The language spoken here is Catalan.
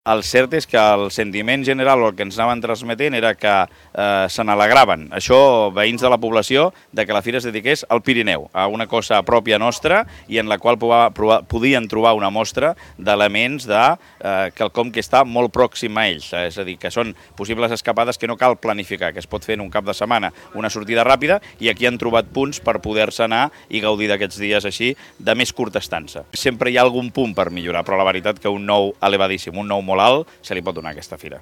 El cert és que el sentiment general, el que ens anaven transmetent, era que se n'alegraven. Això, veïns de la població, de que la fira es dediqués al Pirineu, a una cosa pròpia nostra i en la qual podien trobar una mostra d'elements de quelcom que està molt pròxim a ells. És a dir, que són possibles escapades que no cal planificar, que es pot fer en un cap de setmana una sortida ràpida, i aquí han trobat punts per poder-se anar i gaudir d'aquests dies així de més curta estança. Sempre hi ha algun punt per millorar, però la veritat que un nou elevadíssim, un nou molt alt, se li pot donar a aquesta fira.